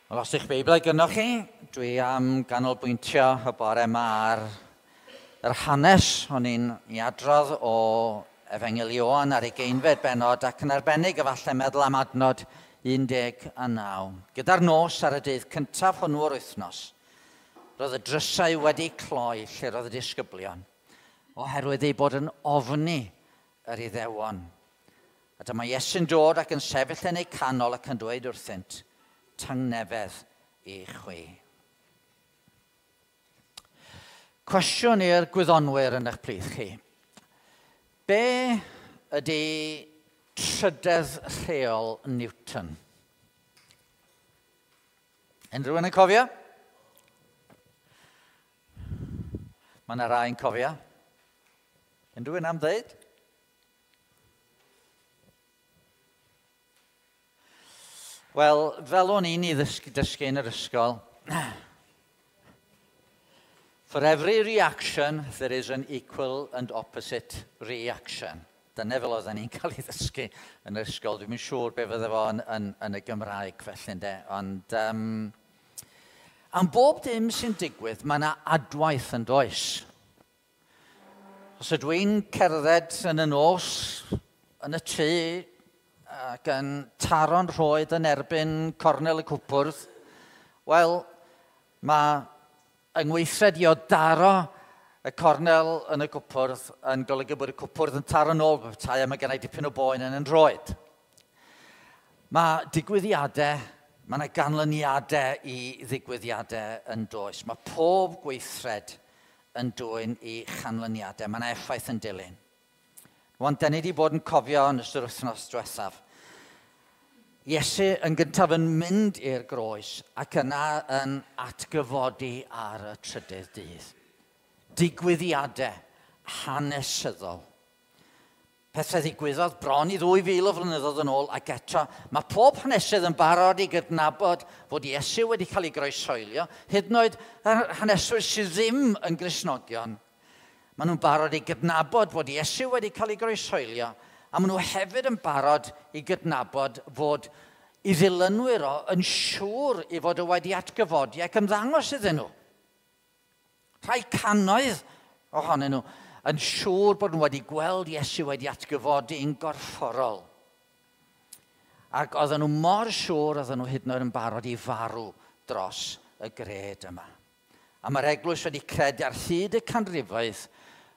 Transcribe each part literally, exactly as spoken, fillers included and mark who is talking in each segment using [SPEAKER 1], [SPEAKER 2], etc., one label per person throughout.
[SPEAKER 1] Wel, os ych Beiblau gynnoch chi, dwi am ganolbwyntio y bore yma ar yr hanes o'n i'n ei adrodd o Efengyl Ioan ar ugeinfed bennod ac yn arbennig efallai meddwl am adnod un deg a naw. Gyda'r nos ar y dydd cyntaf hwnnw o'r wythnos, roedd y drysau wedi cloi lle roedd y disgyblion, oherwydd eu bod yn ofni yr Iddewon. A dyma Iesu'n dod ac yn sefyll yn eu canol ac yn dweud wrthynt, tangnefedd i chwi. Cwestiwn i'r gwyddonwyr yn eich plith chi. Be ydy trydedd rheol Newton? Unrhyw un yn cofio? Mae yna rai yn cofio. Unrhyw un am ddeud? Wel, fel o'n i'n ei ddysgu, dysgu yn yr ysgol, for every reaction, there is an equal and opposite reaction. Dyna fel oedden ni'n cael ei ddysgu yn yr ysgol. Dwi'm yn siŵr be fydde fo yn, yn, yn y Gymraeg felly, ynde. Ond um, am bob dim sy'n digwydd, mae yna adwaith yn does. Os ydw i'n cerdded yn y nos, yn y tŷ, ac yn taro'n rhoed yn erbyn cornel y cwpwrdd, wel, mae yngweithred i o daro y cornel yn y cwpwrdd yn golygu bod y cwpwrdd yn taro nôl petai a mae gennau dipyn o boen yn yn rhoed. Mae digwyddiadau, mae yna ganlyniadau i ddigwyddiadau yn does. Mae pob gweithred yn dwyn i chanlyniadau. Mae yna effaith yn dilyn. Wan, da ni wedi bod yn cofio yn ystod wythnos diwethaf. Iesu yn gyntaf yn mynd i'r groes ac yna yn atgyfodi ar y trydydd dydd. Digwyddiadau hanesyddol. Pethau ddigwyddodd bron i ddwy fil o flynyddoedd yn ôl ac eto mae pob hanesydd yn barod i gydnabod fod Iesu wedi cael ei groeshoelio, hyd yn oed haneswyr sydd ddim yn Gristnogion. Maen nhw'n barod i gydnabod fod Iesu wedi cael ei groeshoelio, a maen nhw hefyd yn barod i gydnabod fod i ddilynwyr o yn siŵr i fod o wedi atgyfodi ac ymddangos iddyn nhw. Rhai cannoedd ohonyn nhw yn siŵr bod nhw wedi gweld Iesu wedi atgyfodi yn gorfforol. Ac oedden nhw mor siŵr oedden nhw hyd yn oed yn barod i farw dros y gred yma. A mae'r eglwys wedi credu ar hyd y canrifoedd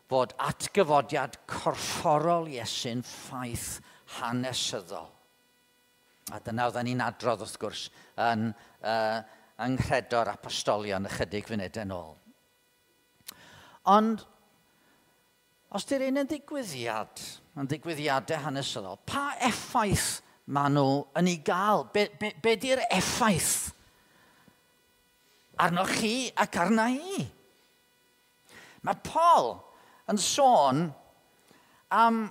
[SPEAKER 1] fod atgyfodiad corfforol Iesu'n ffaith hanesyddol. A dyna oedden ni'n adrodd wrth gwrs yn uh, yng nghredo'r apostolion ychydig funudau yn ôl. Ond os di'r un yn ddigwyddiad, yn ddigwyddiadau hanesyddol, pa effaith maen nhw yn ei gael? Be, be, be di'r effaith arnoch chi ac arna i? Mae Paul yn sôn am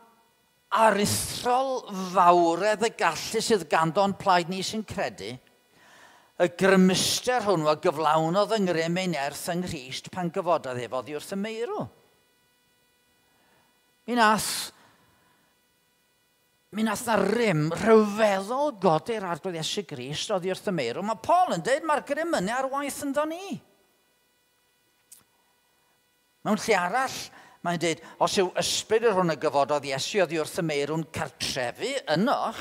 [SPEAKER 1] aruthrol fawredd y gallu sydd ganddo'n plaid ni sy'n credu, y grymuster hwnnw a gyflawnodd yng ngrym ei nerth yng Nghrist pan gyfododd ef oddi wrth y meirw. Mi nath, mi nath na rym rhyfeddol godi'r Arglwydd Iesu Grist oddi wrth y meirw. Mae Paul yn dweud mae'r grym yna ar waith ynddo ni. Mewn lle arall, mae'n dweud, os yw ysbryd yr hwn y gyfododd Iesu oddi wrth y meirw'n cartrefu ynoch,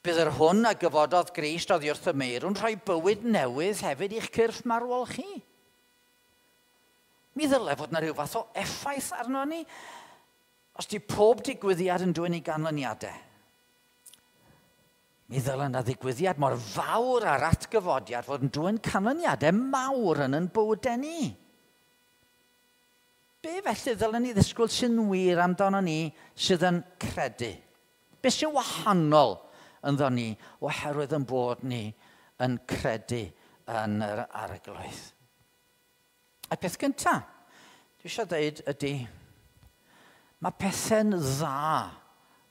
[SPEAKER 1] bydd yr hwn a gyfododd Grist oddi wrth y meirw'n rhoi bywyd newydd hefyd i'ch cyrff marwol chi. Mi ddylai fod yna rhyw fath o effaith arno ni, os di pob digwyddiad yn dwyn i ganlyniadau. Mi ddylai yna ddigwyddiad mor fawr ar atgyfodiad fod yn dwyn canlyniadau mawr yn yn bywydau ni. Be felly ddylen ni ddisgwyl sy'n wir amdano ni sydd yn credu? Be sy'n wahanol ynddo ni oherwydd yn bod ni yn credu yn yr Arglwydd? A peth gyntaf, dwi eisiau dweud ydy, mae pethau'n dda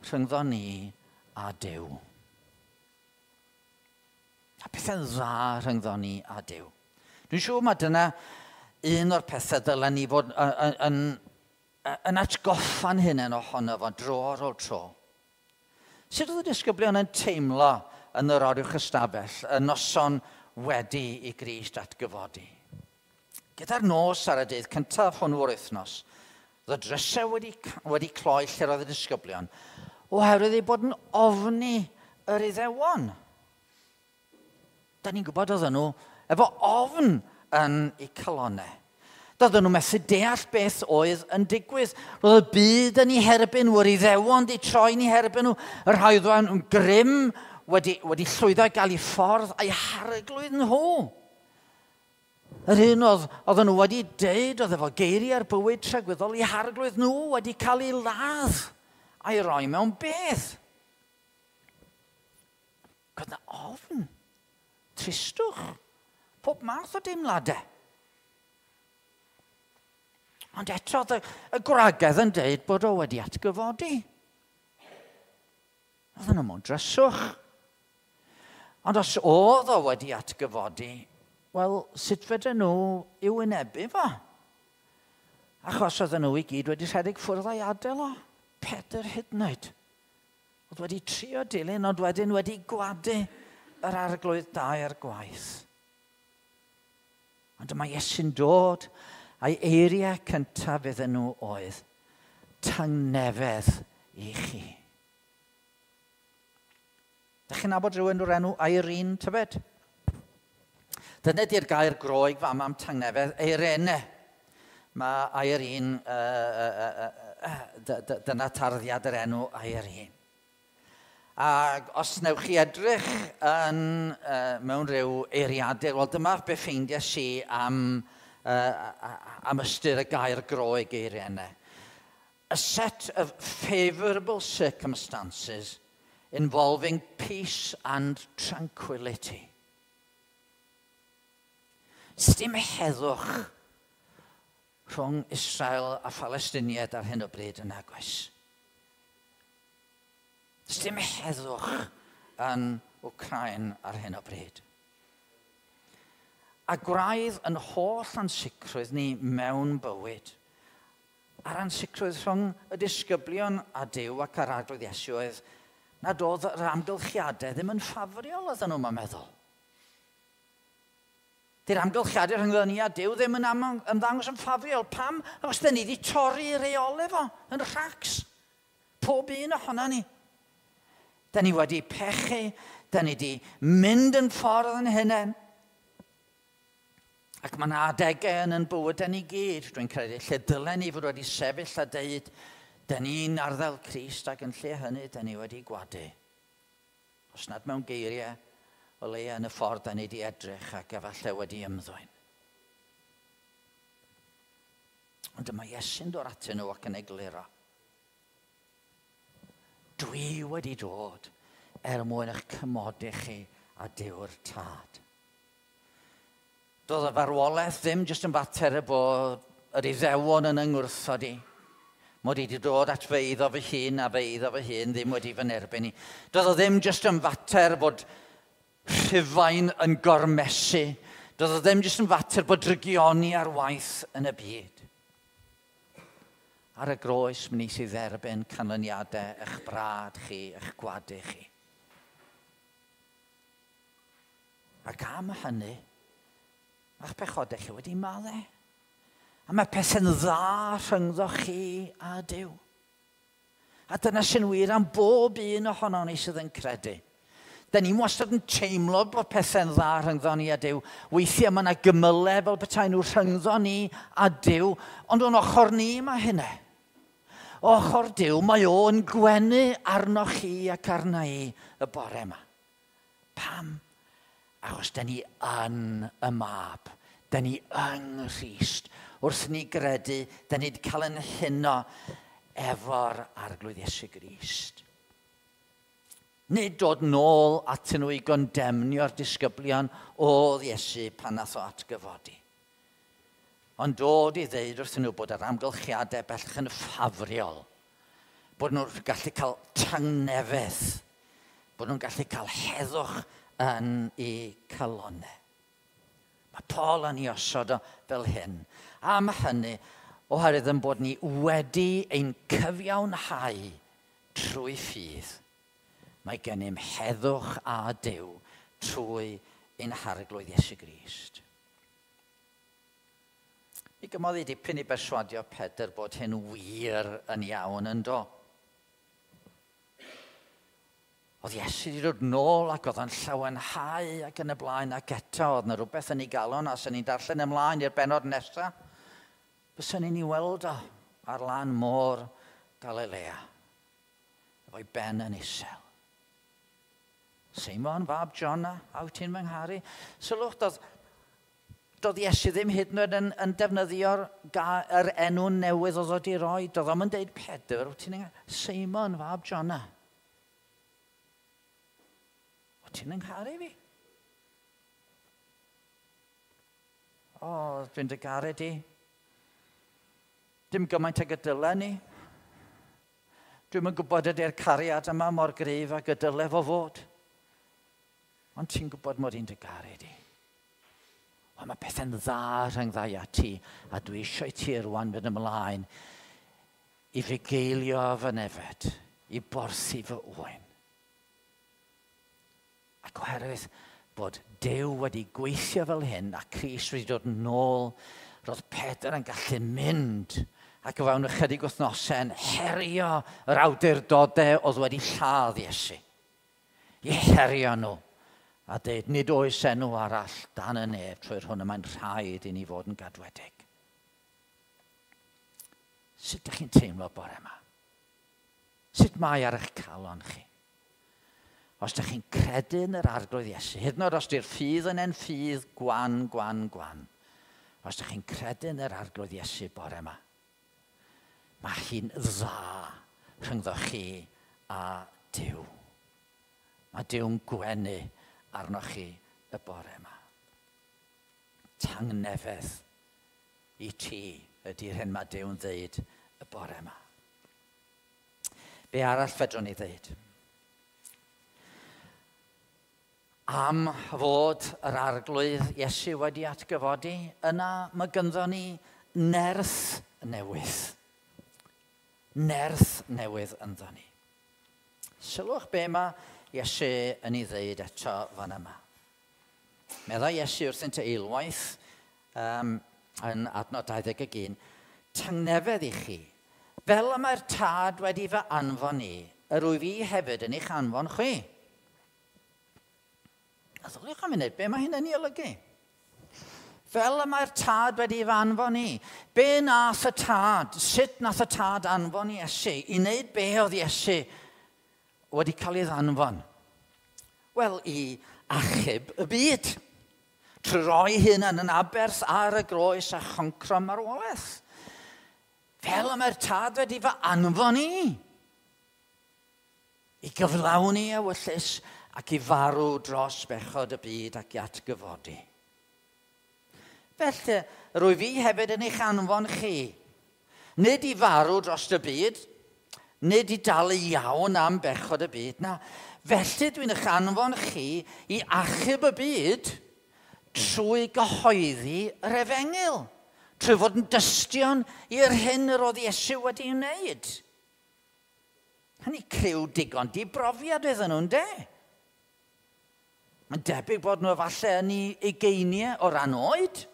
[SPEAKER 1] rhyngddo ni a Duw. Mae pethau'n dda rhyngddo ni a Duw. Dwi'n siŵr mae dyna un o'r pethau dylen ni fod yn, yn, yn atgoffa'n hunain ohono fo dro ar ôl tro. Sut oedd y disgyblion yn teimlo yn yr oruwch ystafell, y noson wedi i Grist atgyfodi. Gyda'r nos ar y dydd cyntaf hwnnw o'r wythnos, oedd y drysau wedi, wedi cloi lle roedd y disgyblion, oherwydd eu bod yn ofni yr Iddewon. Da ni'n gwybod oedden nhw efo ofn yn eu calonnau. Doedden nhw methu deall beth oedd yn digwydd. Roedd y byd yn eu herbyn nhw, yr Iddewon di troi yn eu herbyn nhw, y rhai oedd yn grym wedi, wedi llwyddo i gael eu ffordd a'i harglwydd nhw. Yr un oedd, oedden nhw wedi deud oedd efo geiriau'r bywyd tragwyddol, eu harglwydd nhw wedi cael ei ladd a'i roi mewn bedd. Oedd yna ofn, tristwch, pob math o deimladau. Ond eto, y, y gwragedd yn deud bod o wedi atgyfodi. Oedden nhw mewn dryswch. Ond os oedd o wedi atgyfodi, wel, sut fedren nhw i'w wynebu fo? Achos oedden nhw i gyd wedi rhedeg ffwrdd a'i adael o. Pedr hyd yn oed. Oedd wedi trio dilyn, ond wedyn wedi gwadu yr arglwydd dair gwaith. Ond dyma Iesu'n dod, a'i eiriau cyntaf iddyn nhw oedd, tangnefedd i chi. Dych chi'n nabod rhywun o'r enw Irene, tybed? Dyna di'r gair Groeg fama am tangnefedd, Eirene. Mae Irene, uh, uh, uh, dyna tarddiad yr enw Irene. Ac os newch chi edrych yn, uh, mewn rhyw eiriadur, wel dyma be ffeindiais i am, uh, am ystyr y gair Groeg Eirene. A set of favourable circumstances involving peace and tranquility. Sdim heddwch rhwng Israel a Phalestiniaid ar hyn o bryd yn agos. Sdim heddwch yn Wcrain ar hyn o bryd. A gwraidd yn holl ansicrwydd ni mewn bywyd, a'r ansicrwydd rhwng y disgyblion a Duw ac ar arglwydd Iesu oedd nad oedd yr amgylchiadau ddim yn ffafriol oedden nhw'n meddwl. Di'r amgylchiadau rhyngddo ni a Duw ddim yn ymddangos yn ffafriol. Pam? Achos dyn ni wedi torri reolau fo yn rhacs. Pob un ohono ni. Dyn ni wedi pechu, dyn ni wedi mynd yn ffordd yn hunain. Ac mae yna adegau yn yn bywydau ni gyd, dwi'n credu, lle dylen ni fod wedi sefyll a deud, dyn ni'n arddel Crist ac yn lle hynny, dyn ni wedi gwadu. Os nad mewn geiriau, o leia yn y ffordd dyn ni wedi edrych ac efallai wedi ymddwyn. Ond dyma Iesu'n dod atyn nhw ac yn egluro. Dwi wedi dod er mwyn eich cymodi chi a Duw'r Tad. Doedd y farwolaeth ddim jyst yn fater y bod yr Iddewon yn yngwrthod i. Mod i wedi dod at fy eiddo fy hun a fy eiddo fy hun ddim wedi fy nerbyn i. Doedd o ddim jyst yn fater bod Rhufain yn gormesu. Doedd o ddim jyst yn fater bod drygioni ar waith yn y byd. Ar y groes, mi wnes i dderbyn canlyniadau eich brad chi, eich gwadu chi. Ac am hynny, mae'ch pechodau chi wedi maddau. A mae pethau'n dda rhyngddo chi a Duw. A dyna sy'n wir am bob un ohono ni sydd yn credu. Da ni wastad yn teimlo bod pethau'n dda rhyngddo ni a Duw. Weithiau mae yna gymylau fel petai nhw rhyngddo ni a Duw, ond o'n ochr ni mae hynna. O ochr Duw, mae o'n gwenu arnoch chi ac arna i y bore yma. Pam? Achos da ni yn y mab. Da ni yng Nghrist. Wrth ni gredu, da ni wedi cael yn huno efo'r Arglwydd Iesu Grist. Nid dod nôl atyn nhw i gondemnio'r disgyblion oedd Iesu pan nath o atgyfodi. Ond dod i ddeud wrthyn nhw bod yr amgylchiadau bellach yn ffafriol. Bod nhw'n gallu cael tangnefedd. Bod nhw'n gallu cael heddwch yn eu calonnau. Mae Paul yn ei osod o fel hyn. Am hynny, oherwydd yn bod ni wedi ein cyfiawnhau trwy ffydd. Mae gennym heddwch a Duw trwy ein Harglwydd Iesu Grist. Mi gymodd i dipyn i berswadio Pedr bod hyn wir yn iawn yn do. Oedd Iesu wedi dod nôl ac oedd o'n llawenhau ac yn y blaen, ac eto oedd yna rhywbeth yn ei galon, a sy'n ni'n darllen ymlaen i'r bennod nesaf, byswn ni'n ei weld o ar lan môr Galilea, efo'i ben yn isel. Seimon, fab Jona, a wyt ti'n fy ngharu? Sylwch, doedd, doedd Iesu ddim hyd yn oed yn, yn defnyddio'r yr enw newydd oedd wedi roi. Doedd o'm yn deud Pedr, wyt ti'n ngharu? Seimon, fab Jona. Wyt ti'n ngharu fi? O, dwi'n dy garu di. Dim gymaint ag y dyle ni. Dwi'm yn gwybod ydy'r cariad yma mor gryf ag y dyle fo fod. Ond ti'n gwybod mod i'n dy garu di. Wel, mae pethau'n dda rhyngdda i a ti, a dwi eisiau ti rwan fynd ymlaen i fugeilio fy nefed, i borthi fy ŵyn. Ac oherwydd bod Duw wedi gweithio fel hyn a Crist wedi dod nôl, roedd Pedr yn gallu mynd ac o fewn ychydig wythnosau yn herio yr awdurdodau oedd wedi lladd Iesu. I herio nhw a dweud, nid oes enw arall dan y nef trwy'r hwn y mae'n rhaid i ni fod yn gadwedig. Sut ydych chi'n teimlo bore yma? Sut mae ar eich calon chi? Os ydych chi'n credu yn yr Arglwydd Iesu, hyd yn oed os di'r ffydd yn en ffydd gwan, gwan, gwan, os ydych chi'n credu yn yr Arglwydd Iesu bore yma, mae hi'n dda rhyngddo chi a Duw. Mae Duw'n gwenu arnoch chi y bore yma. Tangnefedd i ti ydy'r hyn mae Duw'n ddeud y bore yma. Be arall fedrwn ni ddeud? Am fod yr Arglwydd Iesu wedi atgyfodi, yna mae gynddo ni nerth newydd. Nerth newydd ynddo ni. Sylwch be mae Iesu yn ei ddeud eto fan yma. Meddai Iesu wrthynt eilwaith um, yn adnod dau ddeg ac un, tangnefedd i chi, fel y mae'r Tad wedi fy anfon i, yr wyf i hefyd yn eich anfon chwi. A ddoliwch am munud, be mae hyn yn ei olygu? Fel y mae'r Tad wedi fy anfon i. Be nath y Tad? Sut nath y Tad anfon Iesu? I wneud be oedd Iesu wedi cael ei ddanfon? Wel, i achub y byd. Trwy roi hunan yn aberth ar y groes a choncro marwolaeth. Fel y mae'r Tad wedi fy anfon i. I gyflawni ewyllys ac i farw dros bechod y byd ac i atgyfodi. Felly, rwyf i hefyd yn eich anfon chi. Nid i farw dros y byd, nid i dalu iawn am bechod y byd, na. Felly dwi'n eich anfon chi i achub y byd trwy gyhoeddi yr efengyl, trwy fod yn dystion i'r hyn yr oedd Iesu wedi wneud. Hynny criw digon di brofiad iddyn nhw'n de. Mae'n debyg bod nhw efallai yn ei ugeiniau o ran oed.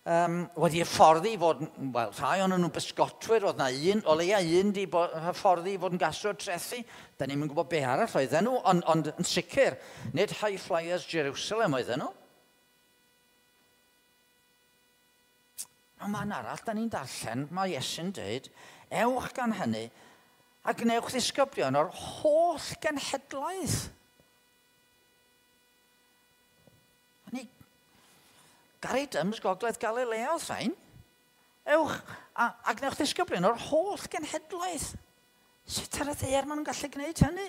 [SPEAKER 1] Um, wedi hyfforddi i fod, wel, rhai o'n nhw'n bysgotwyr, oedd na un, o leia un di hyfforddi i fod yn gasglwr trethi. Da ni'm yn gwybod be arall oedden nhw, ond, ond yn sicr, nid High Flyers Jerusalem oedden nhw. Ond man arall, da ni'n darllen, mae Iesu'n dweud, ewch gan hynny a gwnewch ddisgyblion o'r holl genhedlaeth. Ni Gary Dyms, Gogledd Galilea, oedd rhain. Ewch a, a gwnewch ddisgyblion o'r holl genhedlaeth. Sut ar y ddaear maen nhw'n gallu gwneud hynny?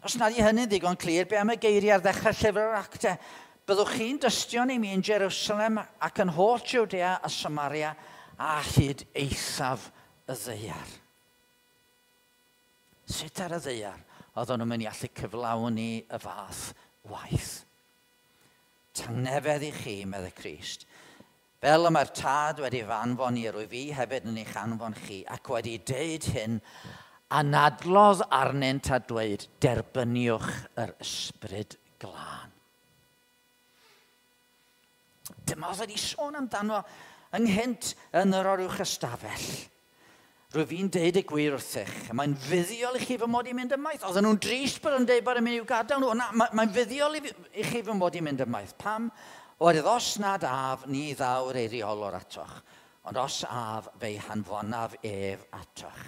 [SPEAKER 1] Os nad yw hynny'n ddigon clir, be am y geiriau ar ddechrau llyfr yr Actau? Byddwch chi'n dystion i mi yn Jerusalem ac yn holl Jwdea a Samaria a hyd eithaf y ddaear. Sut ar y ddaear oedden nhw'n mynd i allu cyflawni y fath waith? Tangnefedd i chi, meddai Crist. Fel y mae'r Tad wedi fy anfon i, rwyf fi hefyd yn eich anfon chi, ac wedi deud hyn, Anadlodd arnynt a dweud, derbyniwch yr Ysbryd Glân. Dyma oedd wedi sôn amdano ynghynt yn yr oruwch ystafell. Rwyf fi'n deud y gwir wrthych, mae'n fuddiol i chi fy mod i'n mynd ymaith. Oedden nhw'n drist bod yn deud bod yn mynd i'w gadael nhw. Na, mae'n fuddiol i chi fy mod i'n mynd ymaith. Pam? Oherwydd os nad af, ni ddaw'r eiriolwr atoch. Ond os af, fe'i hanfonaf ef atoch.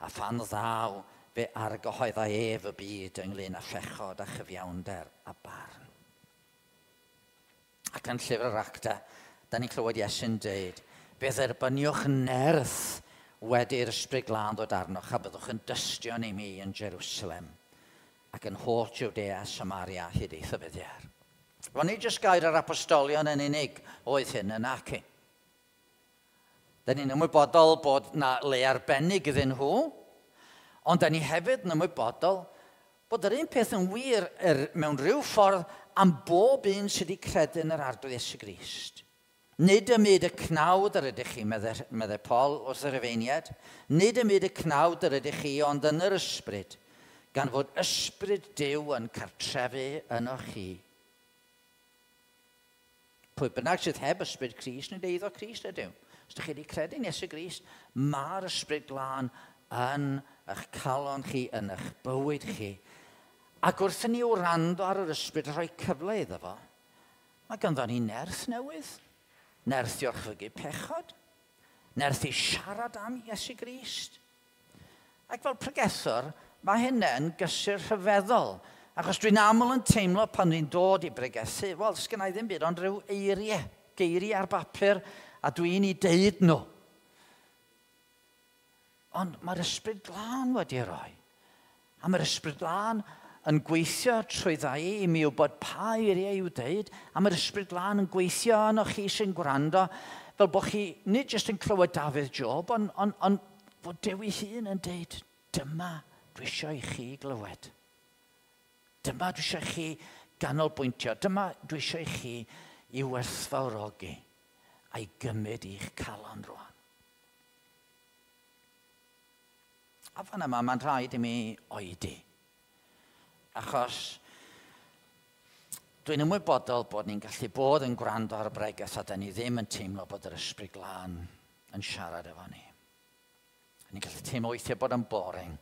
[SPEAKER 1] A phan ddaw, fe argyhoedda ef y byd ynglyn â phechod a chyfiawnder a barn. Ac yn llyfr yr Actau, da ni'n clywed Iesu'n deud, fe dderbyniwch nerth wedi'r Ysbryd Glân ddod arnoch a byddwch yn dystion i mi yn Jerusalem ac yn holl Jwdea, Samaria hyd eithaf y ddaear. Wel, nid jyst gair yr apostolion yn unig oedd hyn yn aci. Da ni'n ymwybodol bod na le arbennig iddyn nhw, ond da ni hefyd yn ymwybodol bod yr un peth yn wir er, mewn rhyw ffordd am bob un sydd wedi credu yn yr Arglwydd Iesu Grist. Nid ym myd y cnawd yr ydych chi, meddai, meddai Paul wrth yr Rufeiniaid. Nid ym myd y cnawd yr ydych chi, ond yn yr ysbryd, gan fod ysbryd Duw yn cartrefu yno chi. Pwy bynnag sydd heb ysbryd Crist, nid eiddo Crist ydyw. Os ydych chi wedi credu yn Iesu Grist, mae'r Ysbryd Glân yn eich calon chi, yn eich bywyd chi. Ac wrth i ni wrando ar yr ysbryd a rhoi cyfle iddo fo, mae ganddo ni nerth newydd. Nerth i orchfygu pechod. Nerth i siarad am Iesu Grist. Ac fel pregethwr, mae hynny'n gysur rhyfeddol. Achos dwi'n aml yn teimlo pan dwi'n dod i bregethu, wel, sgynna i ddim byd ond rhyw eiriau, geiriau ar bapur, a dwi'n ei deud nhw. Ond mae'r Ysbryd Glân wedi rhoi. A mae'r Ysbryd Glân yn gweithio trwy ddau i mi wybod pa eiriau i'w deud, a mae'r Ysbryd Glân yn gweithio yno chi sy'n gwrando, fel bod chi nid jyst yn clywed Dafydd Job, ond on, on, fod Duw ei hun yn deud, dyma dwi eisiau i chi glywed. Dyma dwi eisiau i chi ganolbwyntio. Dyma dwi eisiau i chi i werthfawrogi a'i gymryd i'ch calon rwan. A fan yma, mae'n rhaid i mi oedi. Achos dwi'n ymwybodol bod ni'n gallu bod yn gwrando ar y bregeth a da ni ddim yn teimlo bod yr Ysbryd Glân yn siarad efo ni. Ni'n gallu teimlo weithiau bod yn boring.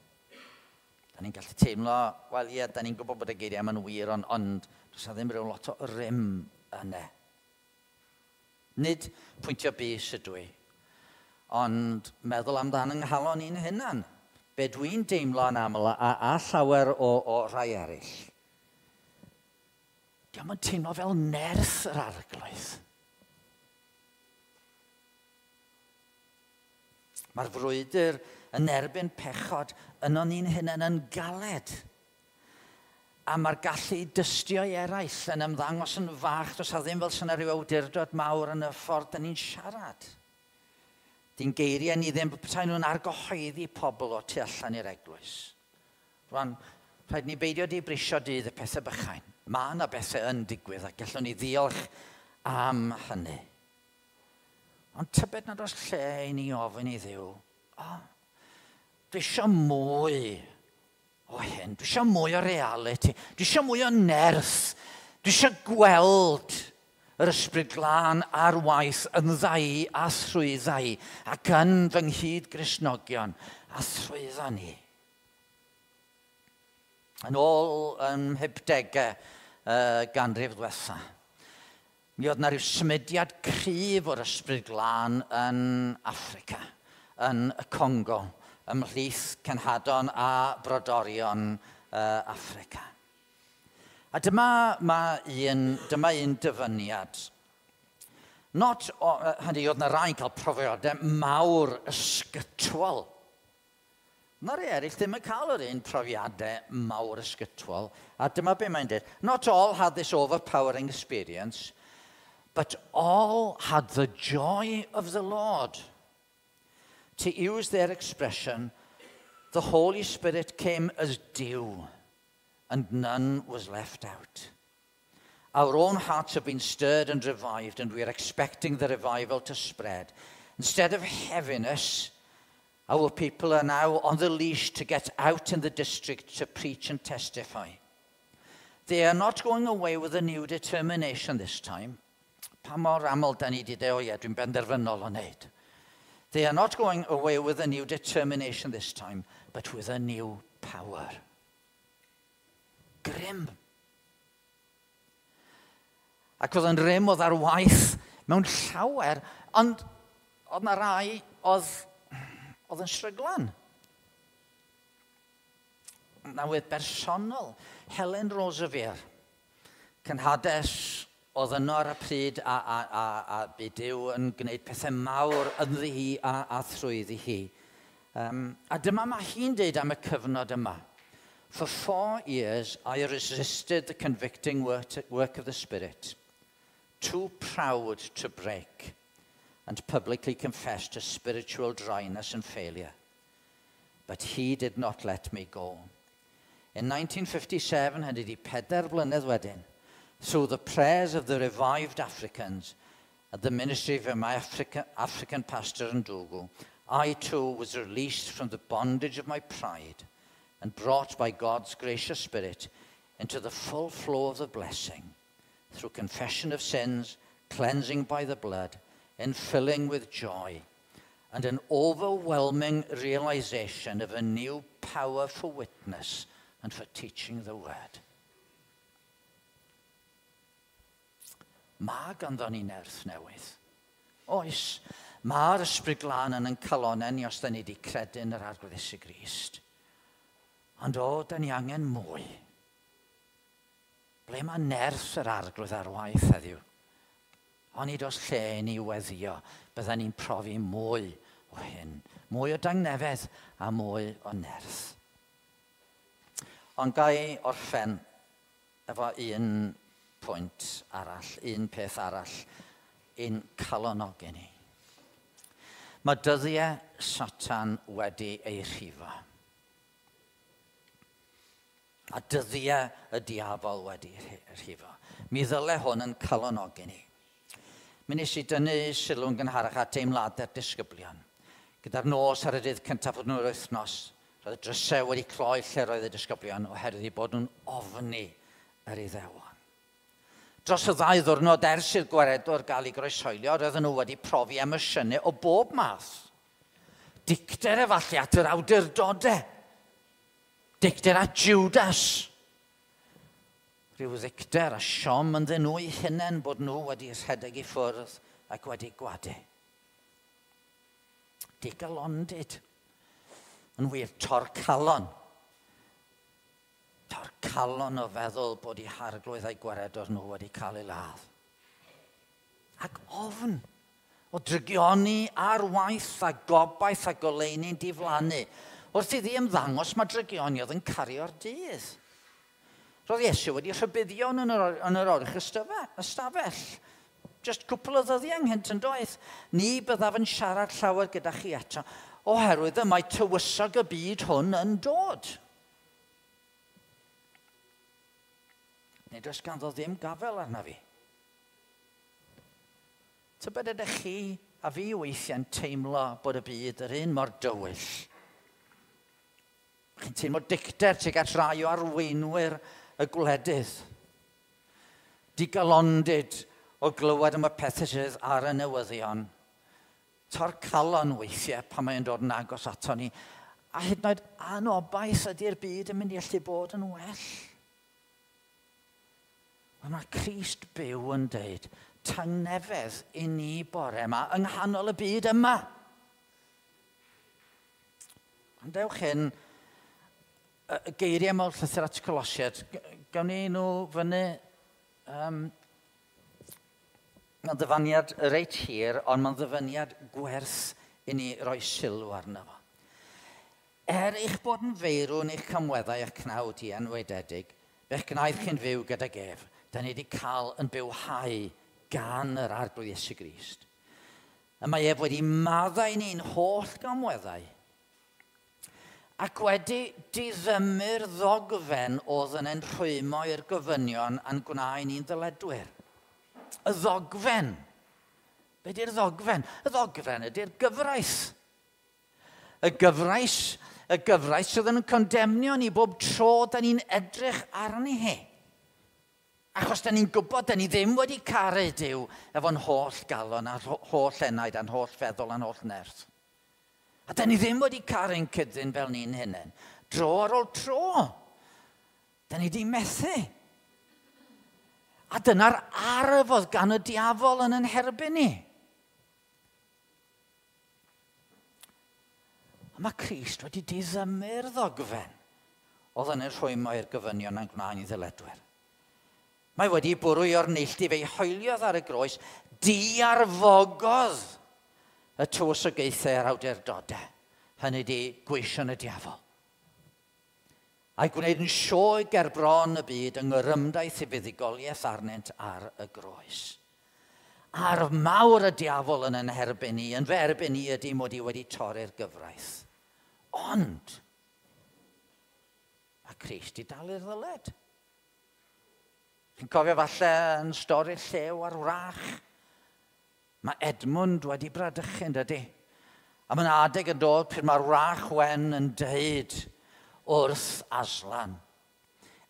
[SPEAKER 1] Da ni'n gallu teimlo, wel ie, da ni'n gwybod bod y geiriau yma'n wir, ond, ond does na ddim rhyw lot o rym yna. Nid pwyntio bys ydw i, ond meddwl amdan yng nghalon i'n hunan. Be dwi'n deimlo yn aml a, a llawer o, o rai eraill. Dio'm yn teimlo fel nerth yr Arglwydd. Mae'r frwydr yn erbyn pechod yno ni'n hunain yn galed. A mae'r gallu i dystio i eraill yn ymddangos yn fach, does a ddim fel sy'n rhyw awdurdod mawr yn y ffordd dyn ni'n siarad. Di'n geiriau ni ddim petai nhw'n argyhoeddi pobl o tu allan i'r eglwys. Rwan, rhaid ni beidio di brisio dydd y pethau bychain. Mae yna bethau yn digwydd a gallwn ni ddiolch am hynny. Ond tybed nad oes lle i ni ofyn i Dduw, o, oh, dwi eisiau mwy o hyn, dwi eisiau mwy o reality, dwi eisiau mwy o nerth, dwi eisiau gweld yr Ysbryd Glân ar waith yn ddau a thrwy ddau ac yn fy nghyd Gristnogion a thrwyddo ni. Yn ôl ym mhumdegau uh, ganrif ddiwetha, mi oedd yna rhyw symudiad cryf o'r Ysbryd Glân yn Affrica, yn y Congo, ymhlith cenhadon a brodorion uh, Affrica. A dyma, ma un, dyma un dyfyniad. Not, o, hynny, oedd yna rai'n cael profiadau mawr ysgytwol. Mae rhai eraill ddim yn cael yr un profiadau mawr ysgytwol. A dyma be mae'n dweud. Not all had this overpowering experience, but all had the joy of the Lord. To use their expression, the Holy Spirit came as dew, and none was left out. Our own hearts have been stirred and revived, and we are expecting the revival to spread. Instead of heaviness, Our people are now on the leash to get out in the district to preach and testify. They are not going away with a new determination this time. Pa mor aml da ni wedi dweud, o ie, dwi'n benderfynol o wneud. They are not going away with a new determination this time, but with a new power. Grym. Ac oedd yn rym oedd ar waith mewn llawer, ond oedd na rai oedd, oedd yn stryglan. Newydd bersonol, Helen Roseveare, cenhades oedd yno ar y pryd a, a, a, a bu Duw yn gwneud pethau mawr ynddi hi a, a thrwyddi hi. Um, a dyma mae hi'n deud am y cyfnod yma. For four years I resisted the convicting work, work of the Spirit, too proud to break and publicly confess to spiritual dryness and failure. But he did not let me go. In nineteen fifty-seven, hynny di pedair blynedd wedyn, through the prayers of the revived Africans at the ministry of my Africa, African pastor Ndugu, I too was released from the bondage of my pride and brought by God's gracious Spirit into the full flow of the blessing through confession of sins, cleansing by the blood, infilling with joy, and an overwhelming realization of a new power for witness and for teaching the word. Mae ganddo ni nerth newydd. Oes, mae'r Ysbryd Glân yn ein calonnau ni os da ni wedi credu yn yr Arglwydd Iesu Grist. Ond o, da ni angen mwy. Ble mae nerth yr Arglwydd ar waith heddiw? Onid oes lle i ni weddio, bydden ni'n profi mwy o hyn. Mwy o dangnefedd a mwy o nerth. Ond ga i orffen efo un pwynt arall, un peth arall, un calonogi ni. Mae dyddiau Satan wedi ei rhifo. A dyddiau y diafol wedi rhifo. Mi ddyle hwn yn calonogi ni. Mi nes i dynnu sylw'n gynharach at deimladau'r disgyblion. Gyda'r nos ar y dydd cyntaf o'r nhw'r wythnos, roedd y drysau wedi cloi lle roedd y disgyblion oherwydd eu bod nhw'n ofni yr Iddewon. Dros y ddau ddwrnod ers i'r gwaredwr gael ei groeshoelio, roedden nhw wedi profi emosiynau o bob math. Dicter efallai at yr awdurdodau. Dicter at Judas. Rhyw ddicter a siom ynddyn nhw eu hunain bod nhw wedi rhedeg i ffwrdd ac wedi gwadu. Digalondid. Yn wir, torcalon. Torcalon o feddwl bod eu harglwydd a'i gwaredwr nhw wedi cael ei ladd. Ac ofn o drygioni ar waith a gobaith a goleuni'n diflannu. Wrth iddi ymddangos mae drygioni oedd yn cario'r dydd. Roedd Iesu wedi rhybuddio yn yr, yn yr oruch ystafell. Just cwpl o ddyddiau ynghynt yn doedd. Ni byddaf yn siarad llawer gyda chi eto, oherwydd y mae tywysog y byd hwn yn dod. Nid oes ganddo ddim gafel arna fi. Tybed ydych chi a fi weithiau'n teimlo bod y byd yr un mor dywyll. Chi'n teimlo dicter tuag at rai o arweinwyr y gwledydd. Digalondid o glywed am y pethau sydd ar y newyddion. Torcalon weithiau pan mae'n dod yn agos ato ni. A hyd yn oed anobaith ydy'r byd yn mynd i allu bod yn well. Ond mae Crist byw yn deud, tangnefedd i ni bore yma yng nghanol y byd yma. Ond dewch hyn, y geiriau mewn llythyr at Colosiaid, gawn ni nhw fyny, um, mae'n ddyfaniad reit hir, ond mae'n ddyfaniad gwerth i ni roi sylw arno fo. Er eich bod yn feirw yn eich camweddau a'ch cnawd i enwaededig, fe'ch gwnaeth chi'n fyw gydag ef. Da ni wedi cael yn bywhau gan yr Arglwydd Iesu Grist. Y mae ef wedi maddau ni'n holl gamweddau ac wedi diddymu'r ddogfen oedd yn ein rhwymo i'r gofynion a'n gwnaed ni'n ddyledwyr. Y ddogfen. Be di'r ddogfen? Y ddogfen ydy'r gyfraith. Y gyfraith, y gyfraith sydd yn condemnio ni bob tro da ni'n edrych arni hi. Achos da ni'n gwybod, da ni ddim wedi caru Duw efo'n holl galon a'n holl enaid a'n holl feddwl a'n holl nerth. A da ni ddim wedi caru'n cydyn fel ni'n hunain. Dro ar ôl tro. Da ni di methu. A dyna'r arf oedd gan y diafol yn yn herbyn ni. A mae Crist wedi diddymu'r ddogfen oedd yn y rhwymo i'r gofynion a'n gwna'n i ddyledwyr. Mae wedi bwrw o'r neilltu, fe'i hoeliodd ar y groes, diarfogodd y tywysogaethau a'r awdurdodau, hynny di gweision y diafol. A'i gwneud yn sioe ger bron y byd yng ngorymdaith i fuddugoliaeth arnynt ar y groes. Arf mawr y diafol yn yn herbyn i, yn fy erbyn i ydy mod i wedi torri'r gyfraith. Ond, mae Crist i dalu'r ddyled. Chi'n cofio falle yn stori'r llew a'r wrach? Mae Edmund wedi bradychu, dydy? A mae'n adeg yn dod pryd mae'r wrach wen yn deud wrth Aslan,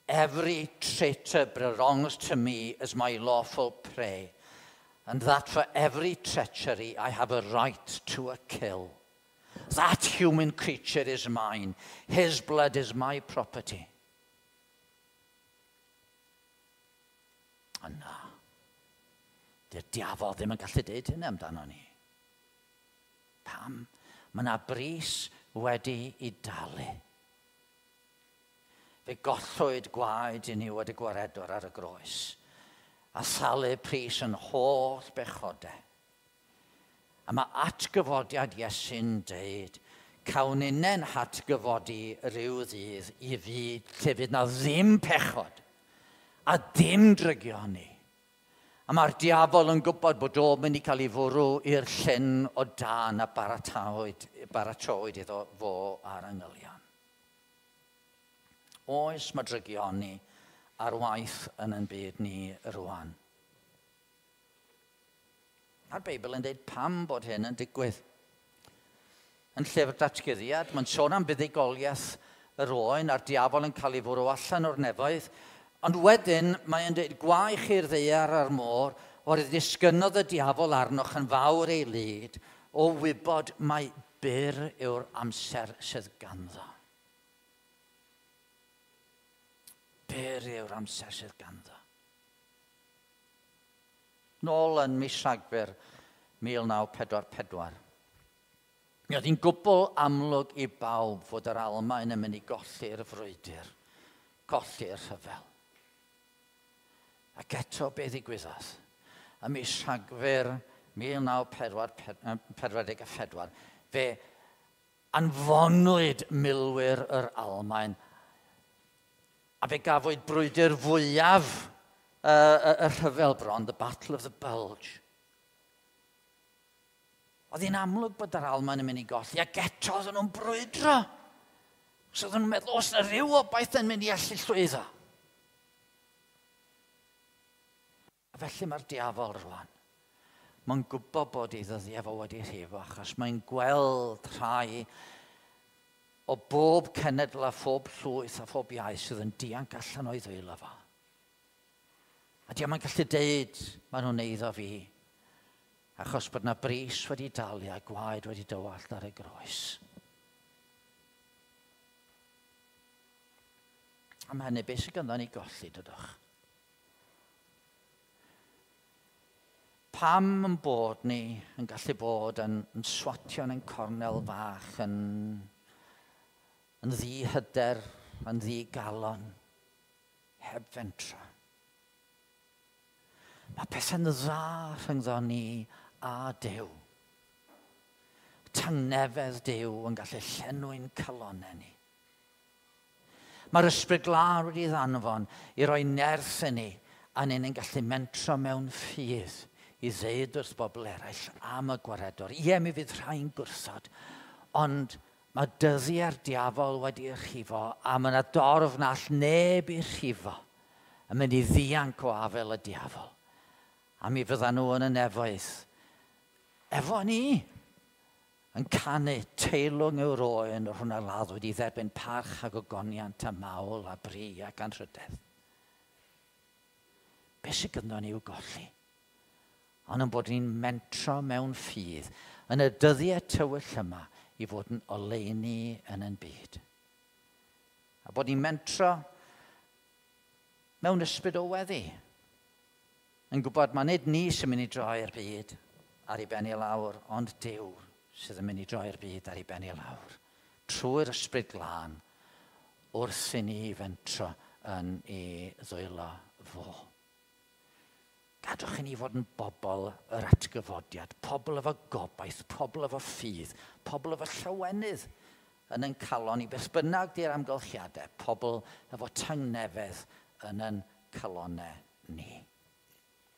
[SPEAKER 1] "Every traitor belongs to me as my lawful prey, and that for every treachery I have a right to a kill. That human creature is mine. His blood is my property." Ond na, dy'r diafol ddim yn gallu deud hynny amdano ni. Pam? Mae yna bris wedi i dalu. Fe gollwyd gwaed i ni wedi gwaredwr ar y groes, a thalu pris yn holl bechodau. A mae atgyfodiad Iesu'n deud, cawn unnen hatgyfodi rhyw ddydd i fyd lle fydd na ddim pechod a dim drygioni. A mae'r diafol yn gwybod bod o'n mynd i cael ei fwrw i'r llyn o dan a baratowyd, baratowyd iddo fo a'r angylion. Oes mae drygioni ar waith yn yn byd ni rwan. Mae'r Beibl yn dweud pam bod hyn yn digwydd. Yn llyfr Datguddiad, mae'n sôn am buddugoliaeth yr oen a'r diafol yn cael ei fwrw allan o'r nefoedd. Ond wedyn, mae'n dweud, gwaech i'r ddaear a'r môr, oherwydd disgynnodd y diafol arnoch yn fawr ei lid, o wybod mai byr yw'r amser sydd ganddo. Byr yw'r amser sydd ganddo. Nôl yn mis Rhagfyr mil naw pedwar pedwar. Mi oedd hi'n gwbl amlwg i bawb fod yr Almaen yn mynd i golli'r frwydr, colli'r rhyfel. Ac eto be ddigwyddodd? Ym mis Rhagfyr mil naw pedwar pedwar, fe anfonwyd milwyr yr Almaen a fe gafwyd brwydr fwyaf y, y, y rhyfel bron, the Battle of the Bulge. Oedd hi'n amlwg bod yr Almaen yn mynd i golli, ac eto oedden nhw'n brwydro. So oedden nhw'n meddwl, oes yna rhyw obaith yn mynd i allu llwyddo? A felly mae'r diafol rwan. Mae'n gwybod bod ei ddyddiau fo wedi rhifo, achos mae'n gweld rhai o bob cenedl a phob llwyth a phob iaith sydd yn dianc allan o'i ddwylo fo. A diolch mae'n gallu deud, maen nhw'n eiddo fi, achos bod yna bris wedi dalu a gwaed wedi dywallt ar y groes. Am hynny, beth sydd ganddo ni golli, dydwch? Pam yn bod ni yn gallu bod yn, yn swatio yn ein cornel fach, yn, yn ddihyder, yn ddigalon, heb fentra? Mae pethau'n dda rhyngddo ni a Duw. Tangnefedd Duw yn gallu llenwi'n calonnau ni. Mae'r Ysbryd Glân wedi ddanfon i roi nerth i ni, a ni'n gallu mentro mewn ffydd i ddeud wrth bobl eraill am y gwaredwr. Ie, mi fydd rhai'n gwrthod, ond mae dyddiau'r diafol wedi rhifo, a mae yna dorf na all neb i rhifo yn mynd i ddianc o afel y diafol. A mi fyddan nhw yn y nefoedd. Efo ni, Yn canu teilwng yw'r oen yr hwnna laddwyd i dderbyn parch ac ogoniant a mawl a bri ac anrhydedd. Be sydd gynno ni i'w golli? Ond yn bod ni'n mentro mewn ffydd yn y dyddiau tywyll yma i fod yn oleuni yn yn byd. A bod ni'n mentro mewn ysbryd o weddi. Yn gwybod mae nid ni sy'n mynd i droi'r byd ar ei ben i lawr, ond Duw sydd yn mynd i droi'r byd ar ei ben i lawr. Trwy'r ysbryd glân, wrth i ni fentro yn ei ddwylo fo. Gadwch i ni fod yn bobl yr atgyfodiad, pobl efo gobaith, pobl efo ffydd, pobl efo llawenydd yn yn calon i beth bynnag di'r amgylchiadau, pobl efo tangnefedd yn yn calonau ni.